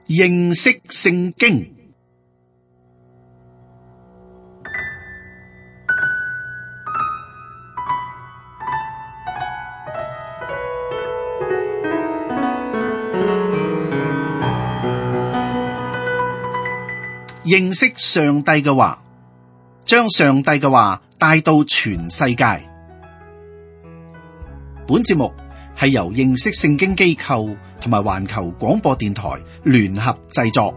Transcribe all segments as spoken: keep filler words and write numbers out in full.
認識聖經。認識上帝嘅話，將上帝嘅話帶到全世界。本節目係由認識聖經機構同埋環球廣播電台聯合製作。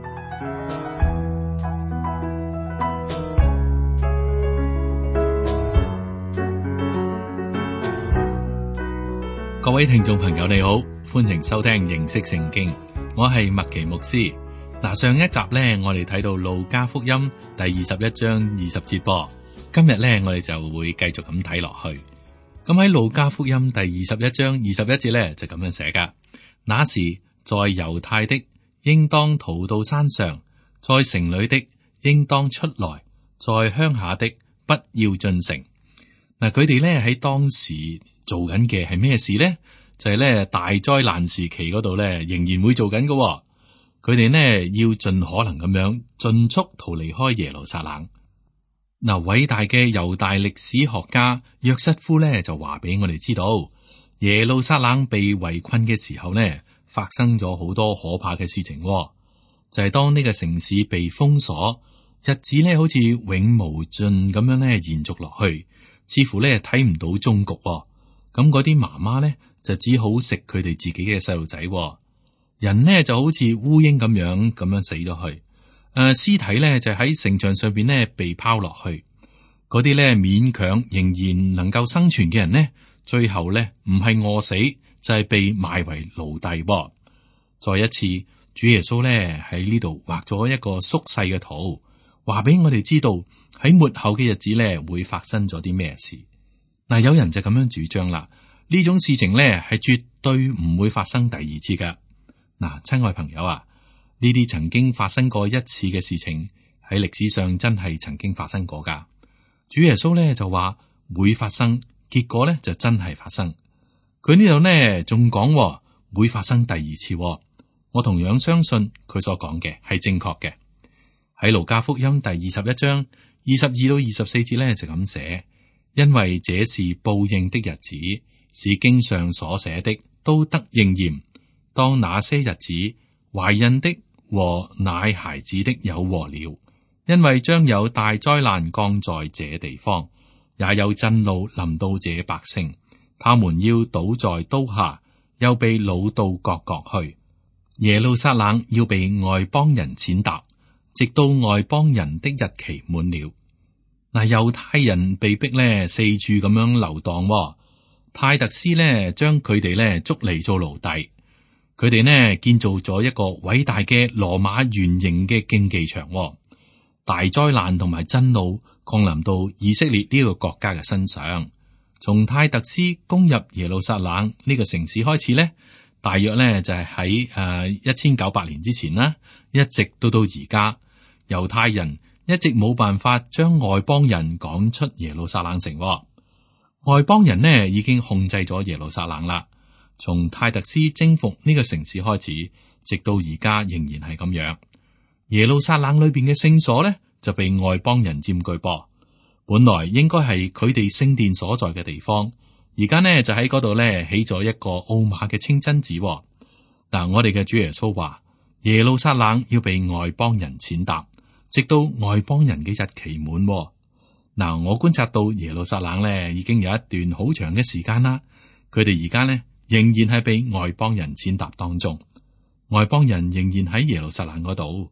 各位聽眾朋友你好，歡迎收聽認識聖經，我係麥奇牧師。嗱，上一集咧，我哋睇到路加福音第二十一章二十節噃。今日咧，我哋就會繼續咁睇落去。咁喺路加福音第二十一章二十一節咧，就咁樣寫噶。那時在猶太的，應當逃到山上；在城裏的，應當出來；在鄉下的，不要進城。嗱，佢哋咧喺當時做緊嘅係咩事咧？就係、是、咧大災難時期嗰度咧，仍然會做緊嘅。佢哋呢要盡可能咁樣盡速逃離開耶路撒冷。嗱，偉大嘅猶大歷史學家約瑟夫呢就話俾我哋知道，耶路撒冷被圍困嘅時候呢，發生咗好多可怕嘅事情。就係、是、當呢個城市被封鎖，日子呢好似永無盡咁樣呢延續落去，似乎呢睇唔到終局。咁嗰啲媽媽呢就只好食佢哋自己嘅細路仔。人呢就好似烏蠅咁樣咁樣死咗去，誒、呃，屍體呢就喺城牆上邊呢被拋落去，嗰啲呢勉強仍然能夠生存嘅人呢，最後呢唔係餓死就係、是、被賣為奴隸。再一次，主耶穌呢喺呢度畫咗一個縮細嘅圖，話俾我哋知道喺末後嘅日子呢會發生咗啲咩事。嗱，有人就咁樣主張啦，呢種事情呢係絕對唔會發生第二次噶。嗱，親愛朋友啊，呢啲曾經發生過一次嘅事情喺歷史上真係曾經發生過噶。主耶穌咧就話會發生，結果咧就真係發生。佢呢度呢仲講會發生第二次，我同樣相信佢所講嘅係正確嘅。喺路加福音第二十一章二十二到二十四節咧就咁寫，因為這是報應的日子，是經上所寫的都得應驗。當那些日子，懷孕的和奶孩子的有禍了，因為將有大災難降在這地方，也有震怒臨到這百姓，他們要倒在刀下，又被擄到各國去。耶路撒冷要被外邦人踐踏，直到外邦人的日期滿了。嗱，猶太人被逼咧四處咁樣流蕩，泰特斯咧將佢哋咧捉嚟做奴隸。佢哋呢建造咗一個偉大嘅羅馬圓形嘅競技場，大災難同埋震怒降臨到以色列呢個國家嘅身上。從泰特斯攻入耶路撒冷呢個城市開始呢，大約呢就係喺誒一千九百年之前啦，一直到到而家，猶太人一直冇辦法將外邦人趕出耶路撒冷城。外邦人呢已經控制咗耶路撒冷啦。從泰特斯征服呢個城市開始，直到而家仍然係咁樣。耶路撒冷裏邊嘅聖所呢，就被外邦人佔據噃。本來應該係佢哋聖殿所在嘅地方，而家呢就喺嗰度呢起咗一個奧馬嘅清真寺。嗱，我哋嘅主耶穌話耶路撒冷要被外邦人踐踏，直到外邦人嘅日期滿。嗱，我觀察到耶路撒冷呢已經有一段好長嘅時間啦，佢哋而家呢仍然係被外邦人踐踏當中，外邦人仍然喺耶路撒冷嗰度。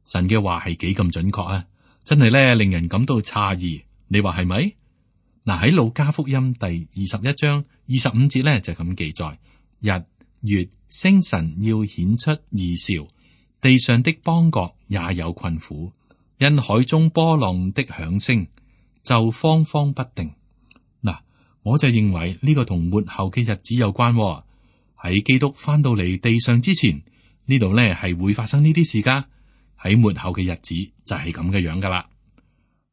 神嘅話係幾咁準確啊！真係咧令人感到詫異。你話係咪？嗱，喺路加福音第二十一章二十五節咧就咁記載：日、月、星辰要顯出異兆，地上的邦國也有困苦，因海中波浪的響聲就慌慌不定。嗱，我就認為呢個同末後嘅日子有關。喺基督翻到嚟地上之前，呢度咧係會發生呢啲事噶。喺末後嘅日子就係咁嘅樣噶啦。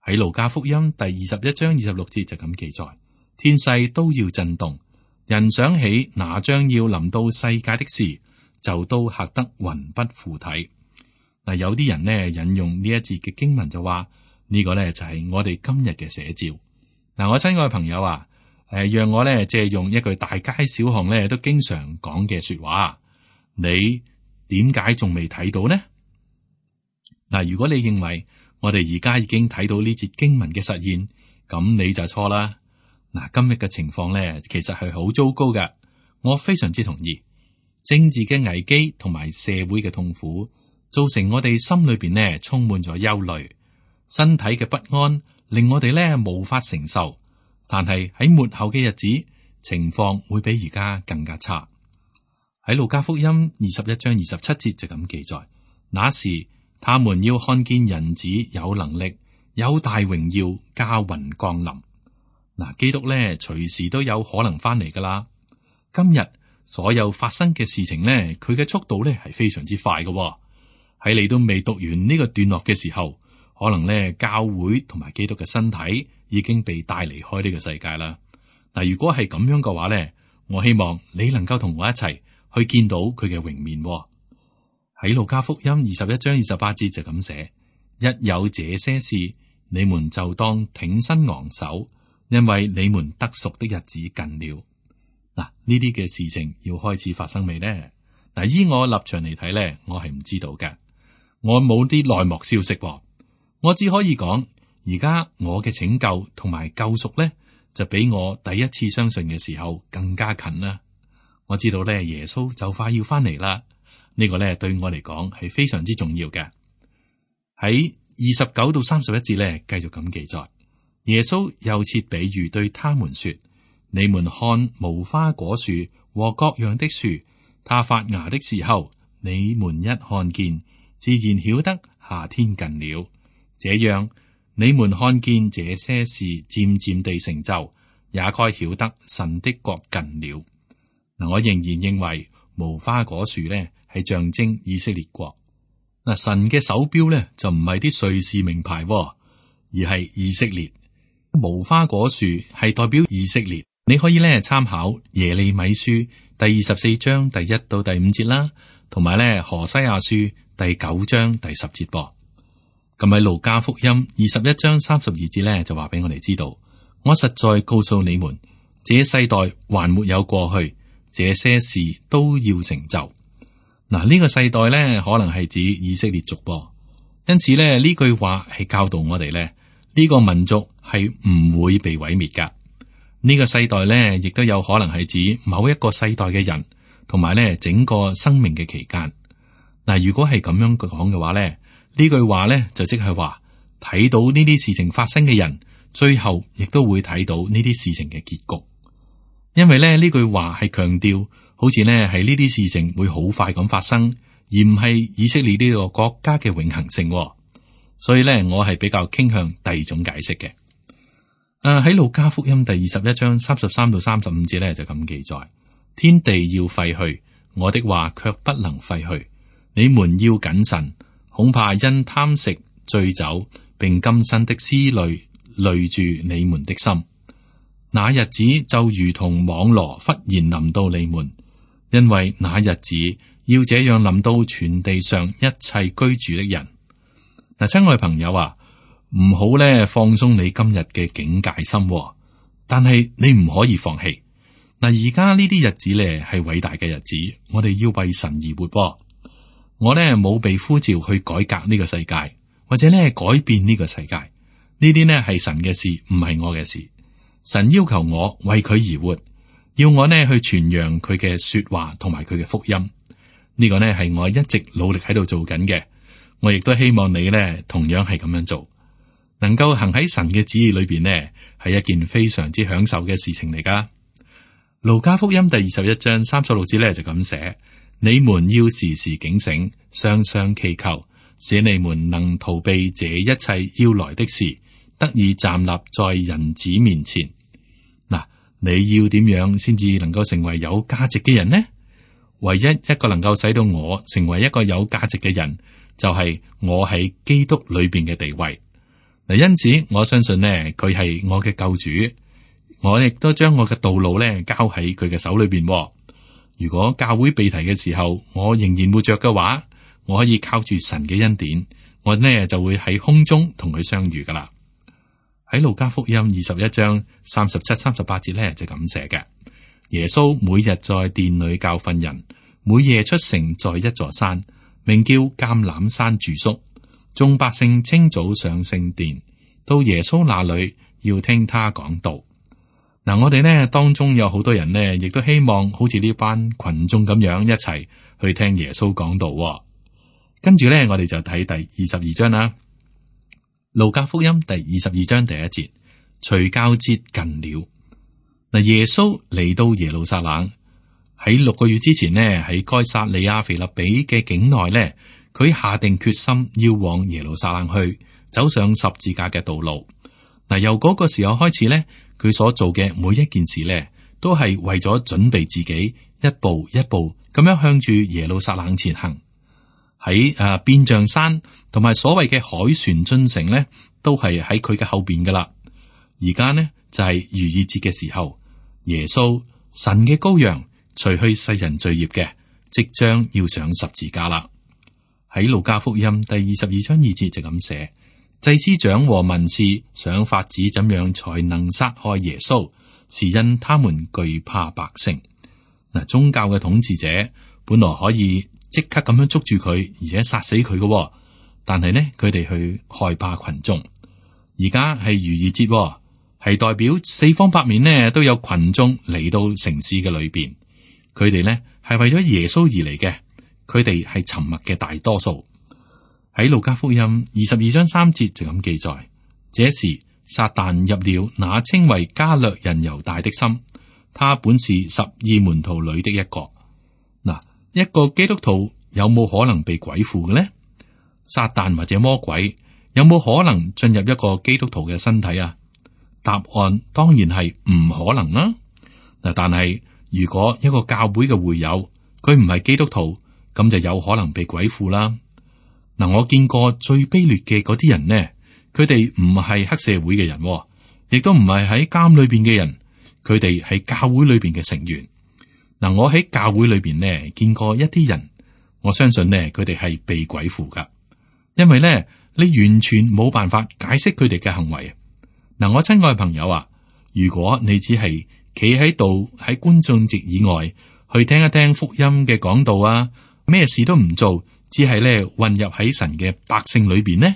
喺路加福音第二十一章二十六節就咁記載：天勢都要震動，人想起那將要臨到世界的事，就都嚇得魂不附體。嗱，有啲人呢引用呢一節嘅經文就話呢個呢就係我哋今日嘅寫照。嗱，我親愛嘅朋友啊，誒，讓我呢借用一句大街小巷呢都經常講嘅說話，你點解仲未睇到呢？嗱，如果你認為我哋而家已經睇到呢節經文嘅實現，咁你就錯啦。嗱，今日嘅情況呢，其實係好糟糕嘅。我非常之同意，政治嘅危機同埋社會嘅痛苦，造成我哋心裏邊呢充滿咗憂慮，身體嘅不安令我哋呢無法承受。但係喺末後嘅日子，情況會比而家更加差。喺路加福音二十一章二十七節就咁記載，那時他們要看見人子有能力，有大榮耀，駕雲降臨。嗱，基督咧隨時都有可能翻嚟噶啦。今日所有發生嘅事情咧，佢嘅速度咧係非常之快嘅。喺你都未讀完呢個段落嘅時候，可能咧教會同埋基督嘅身體已經被帶離開呢個世界啦。嗱，如果係咁樣嘅話咧，我希望你能夠同我一齊去見到佢嘅榮面。喺路加福音二十一章二十八節就咁寫：一有這些事，你們就當挺身昂首。因為你們得贖的日子近了。嗱，呢啲嘅事情要開始發生未呢？嗱，依我立場嚟睇咧，我係唔知道嘅，我冇啲內幕消息，我只可以講，而家我嘅拯救同埋救贖咧，就比我第一次相信嘅時候更加近啦。我知道咧，耶穌就快要翻嚟啦，呢個咧對我嚟講係非常之重要嘅。喺二十九到三十一節咧，繼續咁記載。耶穌又設比喻對他們說：你們看無花果樹和各樣的樹，它發芽的時候，你們一看見，自然曉得夏天近了。這樣，你們看見這些事漸漸地成就，也該曉得神的國近了。嗱，我仍然認為無花果樹呢係象徵以色列國。嗱，神嘅手錶呢就唔係啲瑞士名牌，而係以色列。無花果樹係代表以色列，你可以咧參考耶利米書第二十四章第一到第五節啦，同埋咧何西阿書第九章第十節噃。咁喺路加福音二十一章三十二節咧就話俾我哋知道，我實在告訴你們，這世代還沒有過去，這些事都要成就。嗱，呢個世代咧可能係指以色列族噃，因此咧呢句話係教導我哋咧。呢個民族係唔會被毀滅噶。呢個世代咧，亦都有可能係指某一個世代嘅人，同埋咧整個生命嘅期間。嗱，如果係咁樣講嘅話咧，呢句話咧就即係話睇到呢啲事情發生嘅人，最後亦都會睇到呢啲事情嘅結局。因為咧呢句話係強調，好似咧係呢啲事情會好快咁發生，而唔係以色列呢個國家嘅永恆性。所以咧，我係比較傾向第二種解釋嘅。誒、啊，喺路加福音第二十一章三十三到三十五節咧就咁記載：天地要廢去，我的話卻不能廢去。你們要謹慎，恐怕因貪食、醉酒，並今生的思慮累住你們的心。那日子就如同網羅忽然臨到你們，因為那日子要這樣臨到全地上一切居住的人。嗱，親愛朋友啊，唔好咧放鬆你今日嘅警戒心，但係你唔可以放棄。嗱，而家呢啲日子咧係偉大嘅日子，我哋要為神而活。我咧冇被呼召去改革呢個世界，或者咧改變呢個世界。呢啲呢係神嘅事，唔係我嘅事。神要求我為佢而活，要我呢去傳揚佢嘅說話同埋佢嘅福音。呢個呢係我一直努力喺度做緊嘅。我亦都希望你咧，同樣係咁樣做，能夠行喺神嘅旨意裏邊呢，係一件非常之享受嘅事情嚟噶。路加福音第二十一章三十六節咧就咁寫：你們要時時警醒，常常祈求，使你們能逃避這一切要來的事，得以站立在人子面前。嗱，你要點樣先至能夠成為有價值嘅人呢？唯一一個能夠使到我成為一個有價值嘅人，就係我喺基督裏邊嘅地位。嗱，因此我相信呢，佢係我嘅救主，我亦都將我嘅道路咧交喺佢嘅手裏邊。如果教會被提嘅時候，我仍然活着嘅話，我可以靠住神嘅恩典，我呢就會喺空中同佢相遇噶啦。喺路加福音二十一章三十七、三十八節呢，就咁寫嘅。耶穌每日在殿裏教訓人，每夜出城，在一座山，名叫橄欖山住宿。眾百姓清早上聖殿，到耶穌那裏要聽他講道。嗱，我哋呢當中有好多人呢，亦都希望好似呢班群眾咁樣一齊去聽耶穌講道。跟住呢，我哋就睇第二十二章啦。路加福音第二十二章第一節，除酵節近了。嗱，耶穌嚟到耶路撒冷，喺六個月之前呢，喺該撒利亞腓立比嘅境內呢，佢下定決心要往耶路撒冷去，走上十字架嘅道路。嗱，由嗰個時候開始呢，佢所做嘅每一件事呢，都係為咗準備自己一步一步咁樣向住耶路撒冷前行。喺誒變像山同埋所謂嘅凱旋進城呢，都係喺佢嘅後邊噶啦。而家呢就係逾越節嘅時候，耶穌神嘅羔羊，除去世人罪孽嘅，即將要上十字架啦。喺路加福音第二十二章二節就咁寫：祭司長和文士想法子怎樣才能殺害耶穌，是因他們懼怕百姓。嗱，宗教嘅統治者本來可以即刻咁樣捉住佢，而且殺死佢嘅，但係呢，佢哋去害怕群眾。而家係逾越節，係代表四方八面呢都有群眾嚟到城市嘅裏邊。佢哋呢係為咗耶穌而嚟嘅，佢哋係沉默嘅大多數。喺路加福音二十二章三節就咁記載：這時撒旦入了那稱為加略人猶大的心，他本是十二門徒裏的一個。嗱，一個基督徒有冇可能被鬼附嘅呢？撒旦或者魔鬼有冇可能進入一個基督徒嘅身體啊？答案當然係唔可能啦。嗱，但係如果一個教會嘅會友佢唔係基督徒，咁就有可能被鬼附啦。嗱，我見過最卑劣嘅嗰啲人呢，佢哋唔係黑社會嘅人，亦都唔係喺監裏邊嘅人，佢哋係教會裏邊嘅成員。嗱，我喺教會裏邊呢見過一啲人，我相信呢佢哋係被鬼附噶，因為呢你完全冇辦法解釋佢哋嘅行為。嗱，我親愛朋友啊，如果你只係企喺度喺觀眾席以外去聽一聽福音嘅講道啊，咩事都唔做，只係咧混入喺神嘅百姓裏邊呢，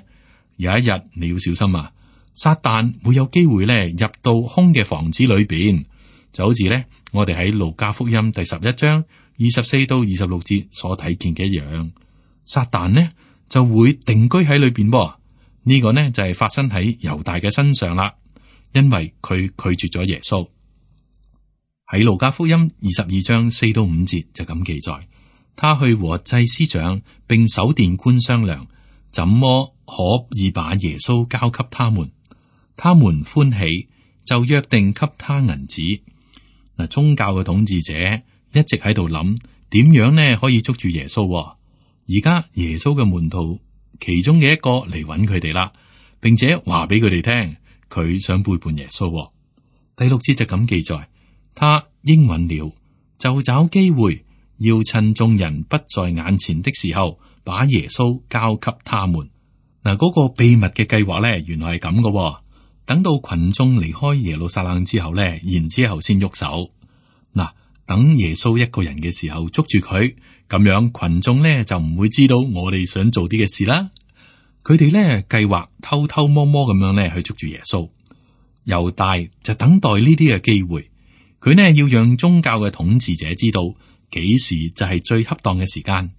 有一日你要小心啊！撒旦會有機會咧入到空嘅房子裏邊，就好似咧我哋喺路加福音第十一章二十四到二十六節所睇見嘅一樣，撒旦呢就會定居喺裏邊噃。呢個呢就係發生喺猶大嘅身上啦，因為佢拒絕咗耶穌。喺路加福音二十二章四到五節就咁記載，他去和祭司長並守殿官商量，怎麼可以把耶穌交給他們？他們歡喜，就約定給他銀子。嗱，宗教嘅統治者一直喺度諗點樣呢可以捉住耶穌。而家耶穌嘅門徒其中嘅一個嚟揾佢哋啦，並且話俾佢哋聽，佢想背叛耶穌。第六節就咁記載，他應允了，就找機會要趁眾人不在眼前的時候，把耶穌交給他們。嗱，嗰個秘密嘅計劃咧，原來係咁嘅。等到群眾離開耶路撒冷之後咧，然之後先喐手。嗱，等耶穌一個人嘅時候捉住佢。咁樣群眾咧就唔會知道我哋想做啲嘅事啦。佢哋咧計劃偷偷摸摸咁樣咧去捉住耶穌。猶大就等待呢啲嘅機會，佢呢要讓宗教嘅統治者知道幾時就係最恰當嘅時間。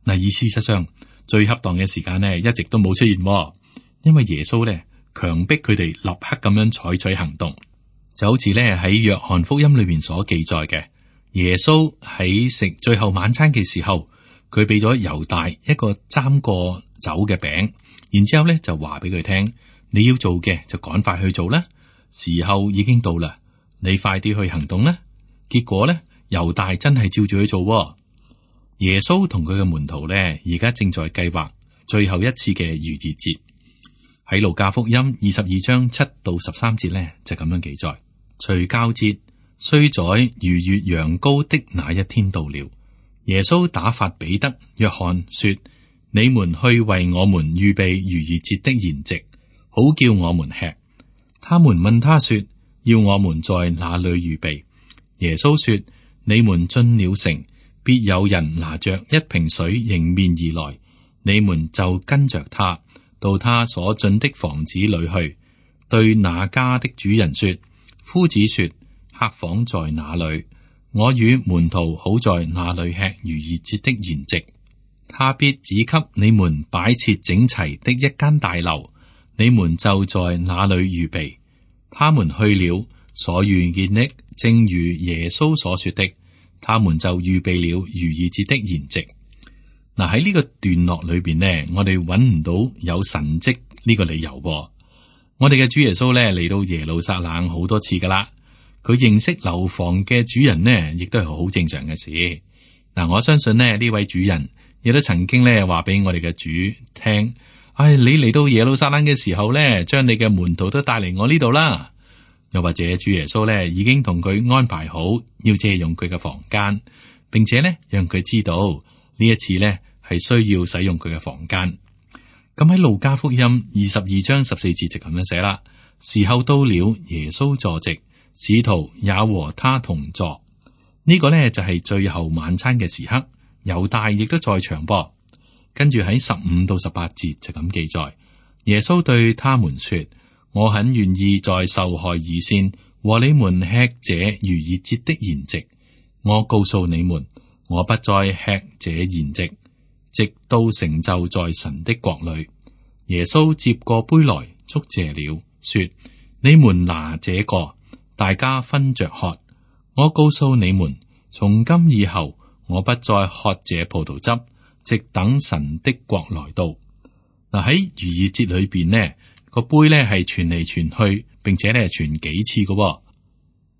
嗱，而事實上最恰當嘅時間呢一直都冇出現，因為耶穌咧強迫佢哋立刻咁樣採取行動，就好似咧喺約翰福音裏邊所記載嘅。耶穌喺食最後晚餐嘅時候，佢俾咗猶大一個沾過酒嘅餅，然之後咧就話俾佢聽，你要做嘅就趕快去做啦，時候已經到啦，你快啲去行動啦。結果咧，猶大真係照住去做。耶穌同佢嘅門徒咧，而家正在計劃最後一次嘅逾越節。喺路加福音二十二章七到十三節咧，就咁樣記載：除酵節雖在逾越羊羔的那一天到了，耶穌打發彼得、約翰說：你們去為我們預備逾越節的筵席，好叫我們吃。他們問他說：要我們在哪裏預備？耶穌說：你們進了城，必有人拿着一瓶水迎面而來，你們就跟着他到他所進的房子裏去，對那家的主人說：夫子說，客房在哪裏？我與門徒好在那裏吃逾越節的筵席。他必指給你們擺設整齊的一間大樓，你們就在那裏預備。他們去了，所遇見的正如耶穌所說的，他們就預備了逾越節的筵席。嗱，喺呢個段落裏邊呢，我哋揾唔到有神蹟呢個理由。我哋嘅主耶穌咧嚟到耶路撒冷好多次噶啦，佢認識樓房嘅主人呢，亦都係好正常嘅事。嗱，我相信呢呢位主人亦都曾經咧話俾我哋嘅主聽，唉，你嚟到耶路撒冷嘅時候咧，將你嘅門徒都帶嚟我呢度啦。又或者主耶穌咧已經同佢安排好要借用佢嘅房間，並且咧讓佢知道呢一次咧係需要使用佢嘅房間。咁喺路加福音二十二章十四節就咁樣寫啦：時候到了，耶穌坐席，使徒也和他同坐。呢、這個呢就係最後晚餐嘅時刻，猶大亦都在場噃。跟住喺十五到十八節就咁記載，耶穌對他們說：我很願意在受害以先和你們吃這逾越節的筵席。我告訴你們，我不再吃這筵席，直到成就在神的國裏。耶穌接過杯來，祝謝了，說：你們拿這個，大家分着喝。我告訴你們，從今以後，我不再喝這葡萄汁，直等神的國來到。嗱，喺逾越節裏邊呢，個杯咧係傳嚟傳去，並且咧傳幾次嘅。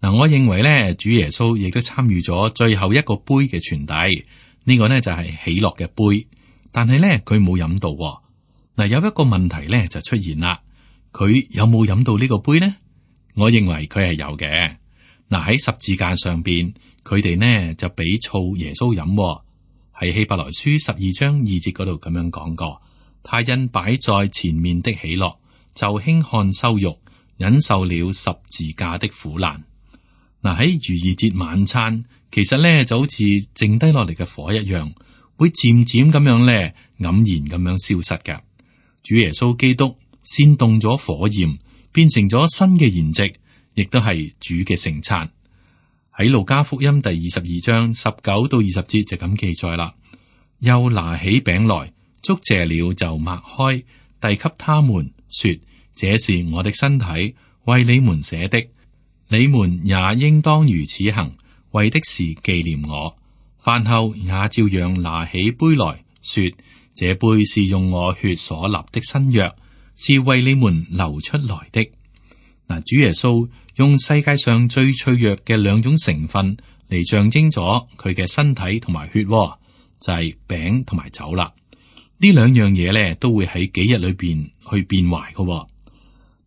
嗱，我認為咧，主耶穌亦都參與咗最後一個杯嘅傳遞。呢個呢就係喜樂嘅杯，但係咧佢冇飲到。嗱，有一個問題咧就出現啦，佢有冇飲到呢個杯呢？我認為佢係有嘅。嗱，喺十字架上邊，佢哋呢就俾醋耶穌飲。喺希伯來書十二章二節嗰度咁樣講過，他因擺在前面的喜樂，就輕看羞辱，忍受了十字架的苦難。嗱，喺逾越節晚餐，其實咧就好似剩低落嚟嘅火一樣，會漸漸咁樣咧黯然咁樣消失嘅。主耶穌基督煽動咗火焰，變成咗新嘅筵席，亦都係主嘅聖餐。喺路加福音第二十二章十九到二十節就咁記載啦。又拿起餅來，祝謝了就擘開，遞給他們，說：這是我的身體，為你們捨的，你們也應當如此行，為的是紀念我。飯後也照樣拿起杯來說：這杯是用我血所立的新約，是為你們流出來的。嗱，主耶穌用世界上最脆弱嘅兩種成分嚟象徵咗佢嘅身體同埋血，就係餅同埋酒啦。呢兩樣嘢咧都會喺幾日裏邊去變壞嘅。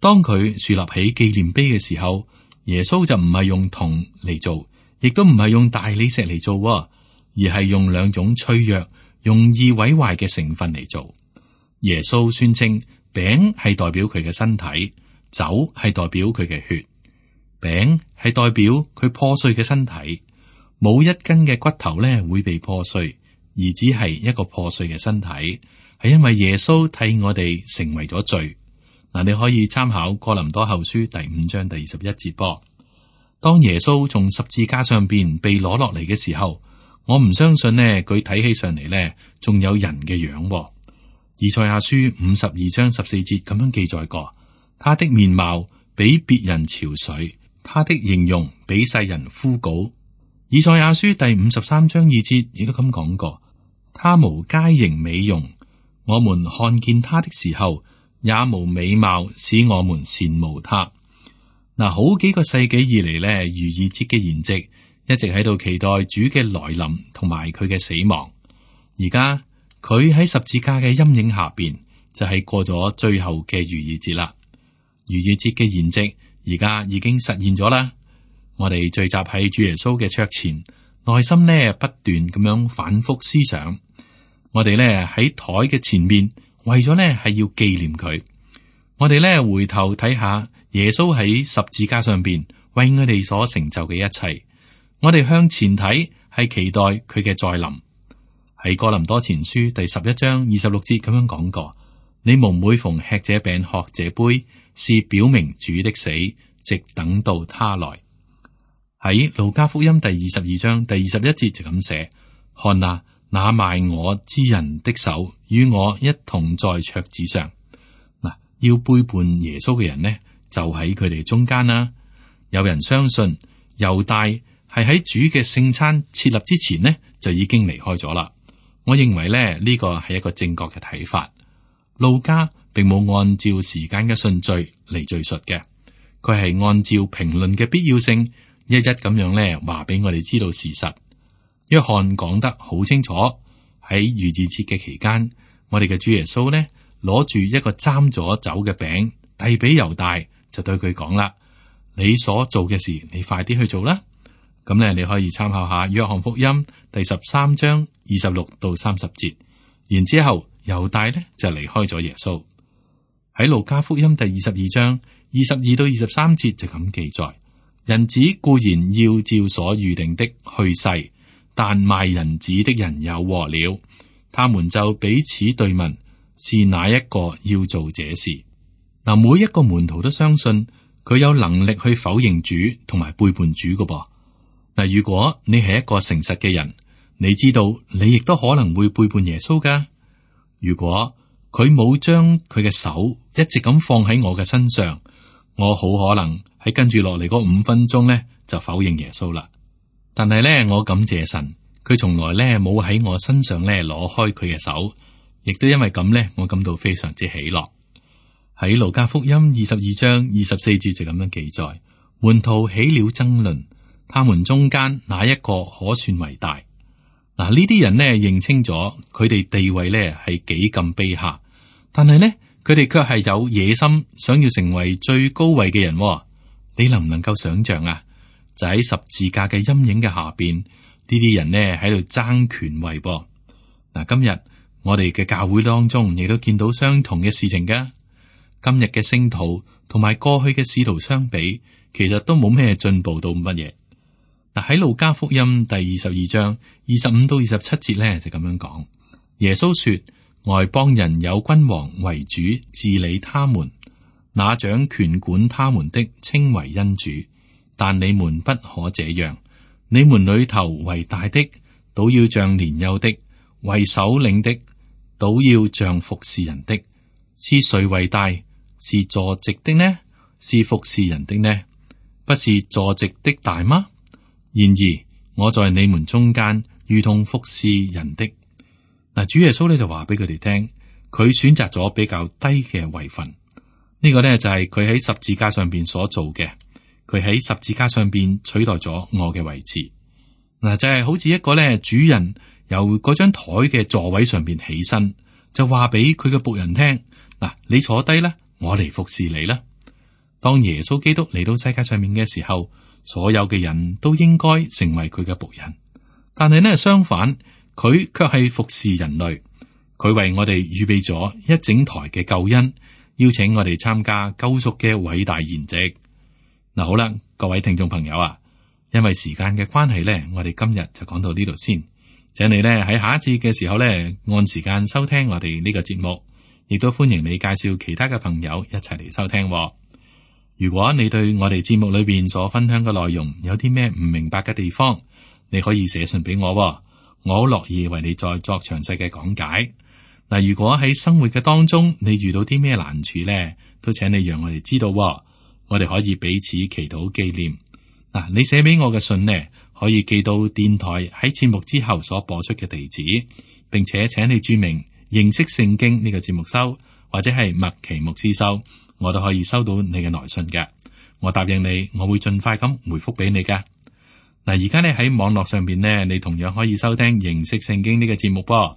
當佢豎立起紀念碑嘅時候，耶穌就唔係用銅嚟做，亦都唔係用大理石嚟做，而係用兩種脆弱、容易毀壞嘅成分嚟做。耶穌宣稱餅係代表佢嘅身體，酒係代表佢嘅血。餅係代表佢破碎嘅身體，冇一根嘅骨頭咧會被破碎，而只係一個破碎嘅身體，係因為耶穌替我哋成為咗罪。嗱，你可以參考哥林多後書第五章第二十一節噃。當耶穌從十字架上邊被攞落嚟嘅時候，我唔相信呢，佢睇起上嚟呢仲有人嘅樣。以賽亞書五十二章十四節咁樣記載過，他的面貌比別人憔悴，他的形容比世人枯槁。以賽亞書第五十三章二節亦都咁講過，他無佳形美容，我們看見他的時候，也無美貌使我們羨慕他。嗱，好幾個世紀以嚟呢，逾越節嘅筵席一直喺度期待主嘅來臨同埋佢嘅死亡。而家佢喺十字架嘅陰影下邊，就係、是、過咗最後嘅逾越節啦。逾越節嘅筵席而家已經實現咗啦。我哋聚集喺主耶穌嘅桌前，內心呢不斷咁樣反覆思想，我哋咧喺台嘅前面，為咗咧係要紀念佢。我哋咧回頭睇下耶穌喺十字架上邊為我哋所成就嘅一切。我哋向前睇，係期待佢嘅再臨。喺哥林多前書第十一章二十六節咁樣講過：你們每逢吃這餅喝這杯，是表明主的死，直等到他來。喺路加福音第二十二章第二十一節就咁寫：看哪，那賣我之人的手與我一同在桌子上。嗱，要背叛耶穌嘅人呢，就喺佢哋中間啦。有人相信猶大係喺主嘅聖餐設立之前呢，就已經離開咗啦。我認為咧呢個係一個正確嘅睇法。路加並冇按照時間嘅順序嚟敘述嘅，佢係按照評論嘅必要性，一一咁樣咧話俾我哋知道事實。約翰講得好清楚，喺逾越節嘅期間，我哋嘅主耶穌呢攞住一個沾咗酒嘅餅，遞俾猶大，就對佢講啦：你所做嘅事，你快啲去做啦。咁咧，你可以參考下約翰福音第十三章二十六到三十節。然之後猶大呢就離開咗耶穌。喺路加福音第二十二章二十二到二十三節就咁記載：人子固然要照所預定的去世，但賣人子的人有禍了。他們就彼此對問：是哪一個要做這事？嗱，每一個門徒都相信佢有能力去否認主同埋背叛主㗎噃。嗱，如果你係一個誠實嘅人，你知道你亦都可能會背叛耶穌噶。如果佢冇將佢嘅手一直咁放喺我嘅身上，我好可能喺跟住落嚟嗰五分鐘咧就否認耶穌啦。但係咧，我感謝神，佢從來咧冇喺我身上咧攞開佢嘅手，亦都因為咁咧，我感到非常之喜樂。喺路加福音二十二章二十四節就咁樣記載：門徒起了爭論，他們中間哪一個可算為大？嗱，呢啲人呢認清咗佢哋地位呢係幾咁卑下，但係呢，佢哋卻係有野心，想要成為最高位嘅人。你能唔能夠想象啊？就喺十字架嘅陰影嘅下邊，呢啲人呢喺度爭權位噃。嗱，今日我哋嘅教會當中亦都見到相同嘅事情噶。今日嘅聖徒同埋過去嘅使徒相比，其實都冇咩進步到乜嘢。嗱，喺路加福音第二十二章二十五到二十七節咧就咁樣講：耶穌說，外邦人有君王為主治理他們，那掌權管他們的稱為恩主，但你們不可這樣。你們裏頭為大的，倒要像年幼的；為首領的，倒要像服侍人的。是誰為大？是坐席的呢？是服侍人的呢？不是坐席的大嗎？然而我在你們中間，如同服侍人的。嗱，主耶穌咧就話俾佢哋聽，佢選擇咗比較低嘅位份。呢個呢，就係佢喺十字架上邊所做嘅。佢喺十字架上邊取代咗我嘅位置。嗱，就係好似一個咧主人由嗰張台嘅座位上邊起身，就話俾佢嘅僕人聽：嗱，你坐低啦，我嚟服侍你啦。當耶穌基督嚟到世界上面嘅時候，所有嘅人都應該成為佢嘅僕人。但係呢，相反，佢卻係服侍人類。佢為我哋預備咗一整台嘅救恩，邀請我哋參加救贖嘅偉大筵席。嗱，好啦，各位聽眾朋友啊，因為時間嘅關係呢，我哋今日就講到呢度先。請你呢喺下一次嘅時候呢，按時間收聽我哋呢個節目，亦都歡迎你介紹其他嘅朋友一齊嚟收聽。如果你對我哋節目裏邊所分享嘅內容有啲咩唔明白嘅地方，你可以寫信俾我，我好樂意為你再作詳細嘅講解。嗱，如果喺生活嘅當中你遇到啲咩難處呢，都請你讓我哋知道，我哋可以彼此祈禱紀念。嗱，你寫俾我嘅信呢，可以寄到電台喺節目之後所播出嘅地址，並且請你注明認識聖經呢個節目收，或者係麥奇牧師收。我都可以收到你嘅來信嘅，我答應你，我會盡快咁回覆俾你噶。嗱，而家咧喺網絡上邊呢，你同樣可以收聽認識聖經呢個節目噃，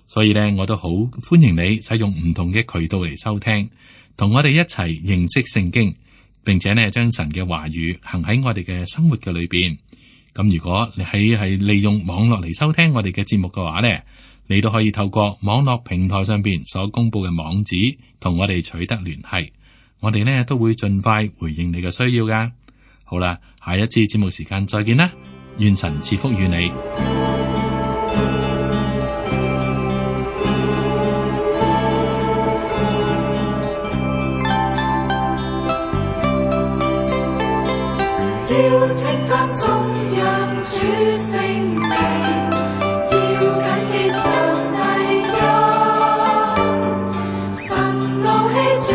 所以咧我都好歡迎你使用唔同嘅渠道嚟收聽，同我哋一齊認識聖經，並且呢將神嘅話語行喺我哋嘅生活嘅裏邊。咁如果你喺係利用網絡嚟收聽我哋嘅節目嘅話呢，你都可以透過網絡平台上邊所公布嘅網址同我哋取得聯繫，我哋呢都會盡快回應你嘅需要噶。好啦，下一次節目時間再見啦，願神賜福與你。要稱讚頌揚主聖名，要謹記上帝恩，神怒氣轉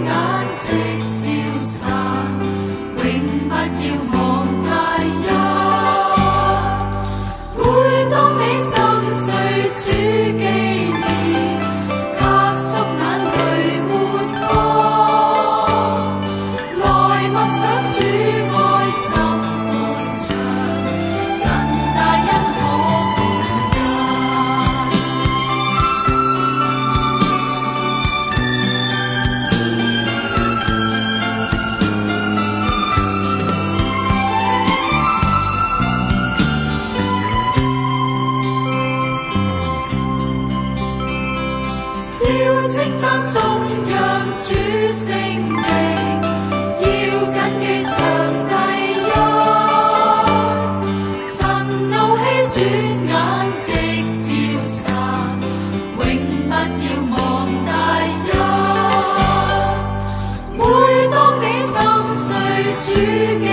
眼即消散，永不要忘大恩。每當你心碎主紀念，壓縮眼淚抹乾，來默想主稱讚頌揚主聖名，要謹記上帝恩，神怒氣轉眼即消散，永不要忘大恩。每當你心碎主記